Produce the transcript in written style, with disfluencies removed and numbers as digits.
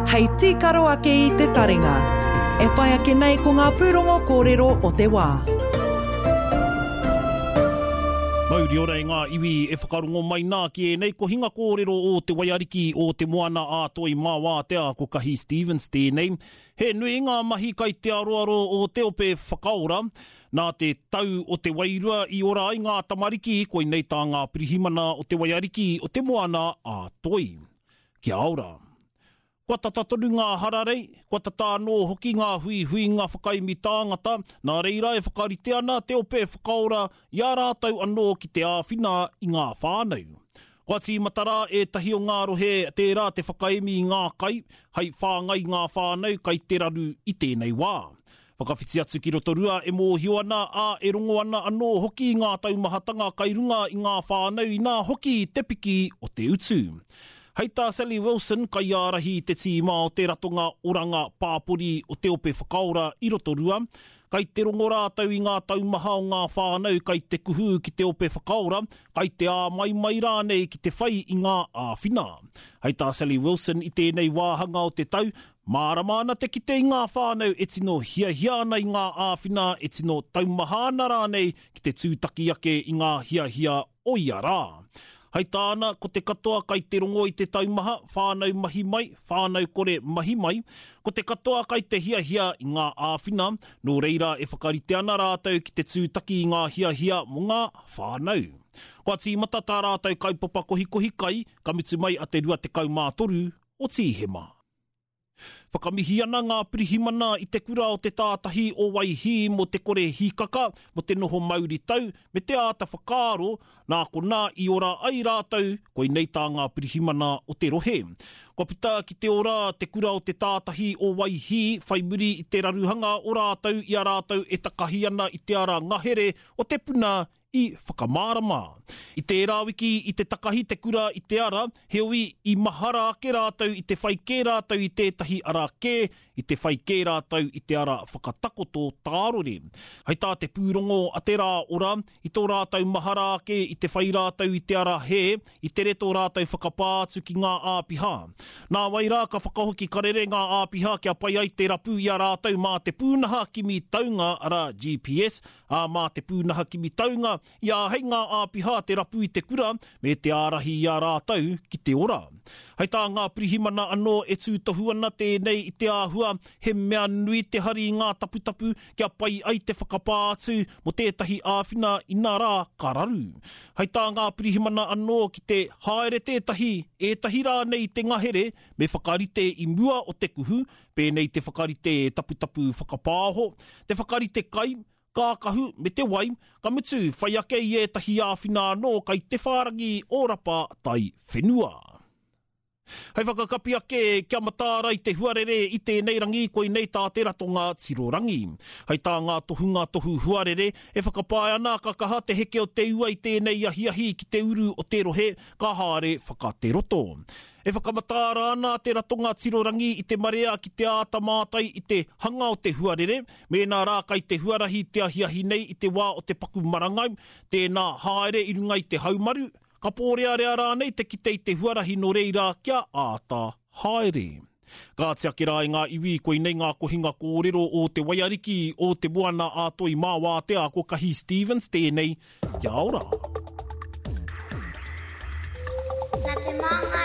Hei tīkaro ake i te taringa. E whai ake nei ko ngā pūrongo kōrero o te wā. Mauri ora e ngā iwi e whakarongo mai nā ki ēnei kohinga kōrero o Te Waiariki o Te Moana a Toi mā Wātea ko Kahi Stevens tēnei. He nui ngā mahi kai te aroaro o Te Ope Whakaora. Nā te tau o te wairua i ora ai ngā tamariki, koinei tā ngā pirihimana o Te Waiariki o Te Moana a Toi. Kia ora. Kua tata tonu ngā hararei, kua tata anō hoki ngā huihuinga whakaemi tāngata, nā reira e whakarite ana te ope whakaora i a rātou anō ki te āwhina i ngā whānau. Kua tīmata rā ētahi o ngā rohe tērā te whakaemi i ngā kai hei whāngai i ngā whānau kai te raru i tēnei wā. Whakawhiti atu ki Rotorua e mōhio ana, ā, e rongo ana anō hoki i ngā taumahatanga kai runga i ngā whānau inā hoki te piki o te utu. Hei tā Sally Wilson, kaiārahi i te tīma o te Ratonga Oranga Pāpori o Te Ope Whakaora i Rotorua, kai te rongo rātou i ngā taumaha o ngā whānau kai te kuhu ki Te Ope Whakaora, kai te āmaimai rānei ki te whai i ngā āwhina. Hei tā Sally Wilson i tēnei wāhanga o te tau, Mārama ana te kite i ngā whānau e tino hiahia ana i ngā āwhina, e tino taumaha ana rānei ki te tūtaki ake i ngā hiahia o ia rā. Hai tāna, ko te katoa kai te rongo i te taumaha, whānau mahi mai, whānau kore mahi mai, ko te katoa kai te hiahia i ngā āwhina, nō reira e whakarite ana rātou ki te tūtaki i ngā hiahia mō ngā whānau. Kua tīmata tā rātou kaupapa kohikohi kai, ka mutu mai a te 23 o Tīhema. Whakamihi ana ngā pirihimana i te kura o te tātahi o Waihī mō te kore hīkaka, mō te noho mauri tau, me te āta whakaaro, nā konā i ora ai rātou, koinei tā ngā pirihimana o te rohe. Kua puta ki te ora te kura o te tātahi o Waihī whai muri i te raruhanga o rātou i a rātou e takahi ana i te ara ngahere o te puna i whakamārama. I tērā wiki i te takahi te kura i te ara, heoi i mahara ake rātou i te whai kē rātou i tētahi ara kē, i te whai kē rātou i te ara whakatakoto tārore. Hei tā te pūrongo a Te Rā Ora, i tō rātou mahara ake i te whai rātou i te ara hē, i tere tō rātou whakapā atu ki ngā āpiha. Nāwai rā ka whakahoki karere ngā āpiha kia pai ai te rapu i a rātou mā te pūnaha kimi taunga, arā, GPS, ā, mā te pūnaha kimi taunga i āhei ngā āpiha te rapu i te kura me te ārahi i a rātou ki te ora. Hei tā ngā pirihimana anō e tūtohu ana tēnei i te āhua he mea nui te hari i ngā taputapu kia pai ai te whakapā atu mō tētahi āwhina inā rā ka raru. Hei tā ngā pirihimana anō ki te haere tētahi, ētahi rānei i te ngahere me whakarite i mua o te kuhu pēnei te whakarite taputapu whakapāoho, te whakarite kai, kākahu me te wai, ka mutu whai ake i ētahi āwhina anō kai te whārangi o Rapa Tai Whenua. Hei whakakapi ake, kia mataara i te huarere i tēnei rangi, koinei tā te ratonga tirorangi. Hei tā ngā tohunga tohu huarere, e whakapae ana ka kaha te heke o te ua i tēnei ahiahi ki te uru o te rohe, ka haere whakateroto. E whakamataara ana te ratonga tirorangi i te marea ki te āta mātai i te hanga o te huarere, mēnā rā kai te huarahi te ahiahi nei i te wā o te paku marangai, tēnā haere i runga i te haumaru, ka pōrearea rānei te kite i te huarahi nō reira kia āta haere. Kāti ake rā e ngā iwi, koinei ngā kohinga kōrero o Te Waiariki, o Te Moana a Toi mā Wātea ko Kahi Stevens tēnei, kia ora. Nā te māngai.